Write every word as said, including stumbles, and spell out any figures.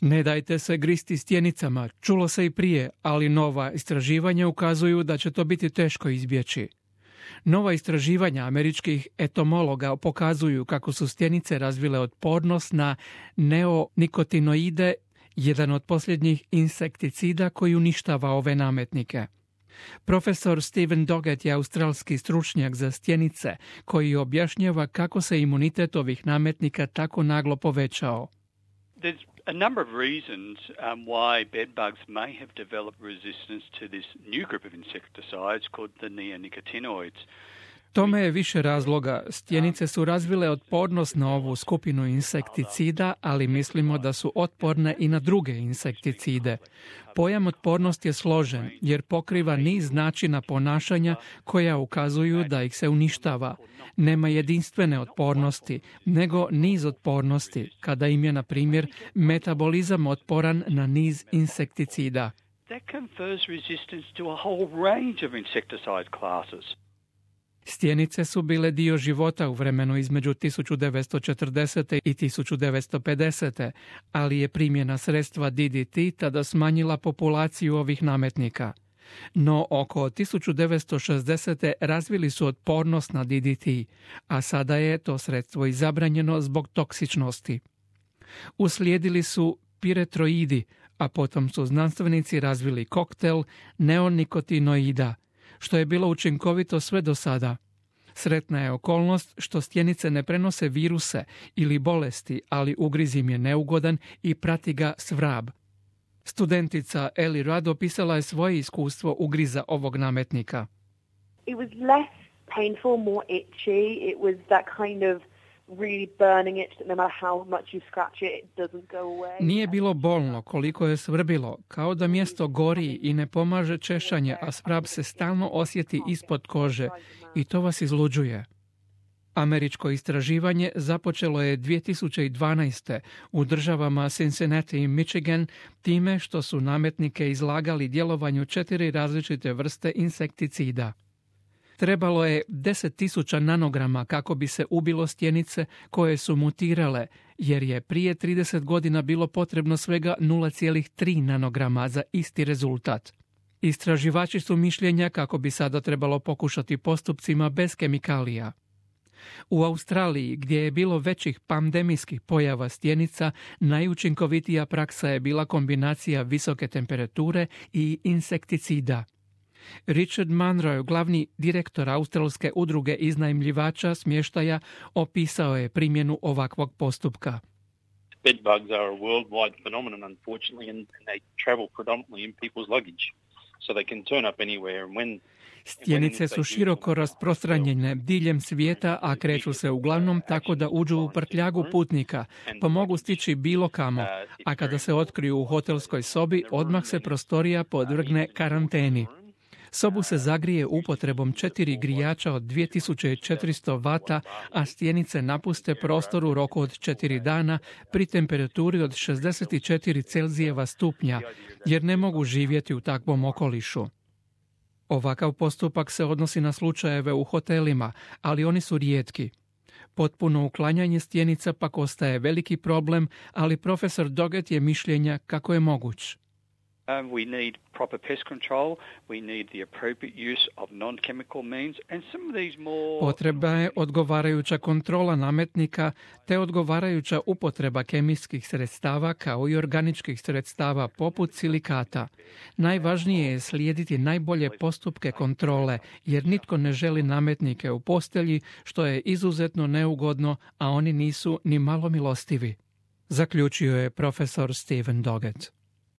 Ne dajte se gristi stjenicama, čulo se i prije, ali nova istraživanja ukazuju da će to biti teško izbjeći. Nova istraživanja američkih etomologa pokazuju kako su stjenice razvile otpornost na neonikotinoide, jedan od posljednjih insekticida koji uništava ove nametnike. Profesor Steven Doggett je australski stručnjak za stjenice koji objašnjava kako se imunitet ovih nametnika tako naglo povećao. There's a number of reasons um, why bedbugs may have developed resistance to this new group of insecticides called the neonicotinoids. Tome je više razloga. Stjenice su razvile otpornost na ovu skupinu insekticida, ali mislimo da su otporne i na druge insekticide. Pojam otpornost je složen jer pokriva niz načina ponašanja koja ukazuju da ih se uništava. Nema jedinstvene otpornosti, nego niz otpornosti, kada im je, na primjer, metabolizam otporan na niz insekticida. That confers resistance to a whole range of insecticide classes. Stjenice su bile dio života u vremenu između tisuću devetsto četrdesete i tisuću devetsto pedesete, ali je primjena sredstva D D T tada smanjila populaciju ovih nametnika. No oko tisuću devetsto šezdesete razvili su otpornost na D D T, a sada je to sredstvo i zabranjeno zbog toksičnosti. Uslijedili su piretroidi, a potom su znanstvenici razvili koktel neonikotinoida, što je bilo učinkovito sve do sada. Sretna je okolnost što stjenice ne prenose viruse ili bolesti, ali ugriz im je neugodan i prati ga svrab. Studentica Ellie Rudd opisala je svoje iskustvo ugriza ovog nametnika. It was less painful, more itchy. It was that kind of really burning itch that no matter how much you scratch it, it doesn't go away. Nije bilo bolno koliko je svrbilo, kao da mjesto gori i ne pomaže češanje, a svrab se stalno osjeti ispod kože i to vas izluđuje. Američko istraživanje započelo je dvije tisuće dvanaeste. u državama Cincinnati i Michigan time što su nametnike izlagali djelovanju četiri različite vrste insekticida. Trebalo je deset tisuća nanograma kako bi se ubilo stjenice koje su mutirale, jer je prije trideset godina bilo potrebno svega nula zarez tri nanograma za isti rezultat. Istraživači su mišljenja kako bi sada trebalo pokušati postupcima bez kemikalija. U Australiji, gdje je bilo većih pandemijskih pojava stjenica, najučinkovitija praksa je bila kombinacija visoke temperature i insekticida. Richard Munro, glavni direktor Australske udruge iznajmljivača smještaja, opisao je primjenu ovakvog postupka. Bedbugs are a worldwide phenomenon, unfortunately, and they travel predominantly in people's luggage, so they can turn up anywhere. And when Stjenice su široko rasprostranjene diljem svijeta, a kreću se uglavnom tako da uđu u prtljagu putnika, pa mogu stići bilo kamo, a kada se otkriju u hotelskoj sobi, odmah se prostorija podvrgne karanteni. Sobu se zagrije upotrebom četiri grijača od dvije tisuće četiristo vata, a stjenice napuste prostor u roku od četiri dana pri temperaturi od šezdeset četiri Celzijeva stupnja, jer ne mogu živjeti u takvom okolišu. Ovakav postupak se odnosi na slučajeve u hotelima, ali oni su rijetki. Potpuno uklanjanje stjenica pak ostaje veliki problem, ali profesor Doggett je mišljenja kako je moguć. Um, we need proper pest control, we need the appropriate use of non-chemical means, and some of these more... Potreba je odgovarajuća kontrola nametnika te odgovarajuća upotreba kemijskih sredstava kao i organičkih sredstava poput silikata. Najvažnije je slijediti najbolje postupke kontrole, jer nitko ne želi nametnike u postelji, što je izuzetno neugodno, a oni nisu ni malo milostivi. Zaključio je profesor Steven Doggett.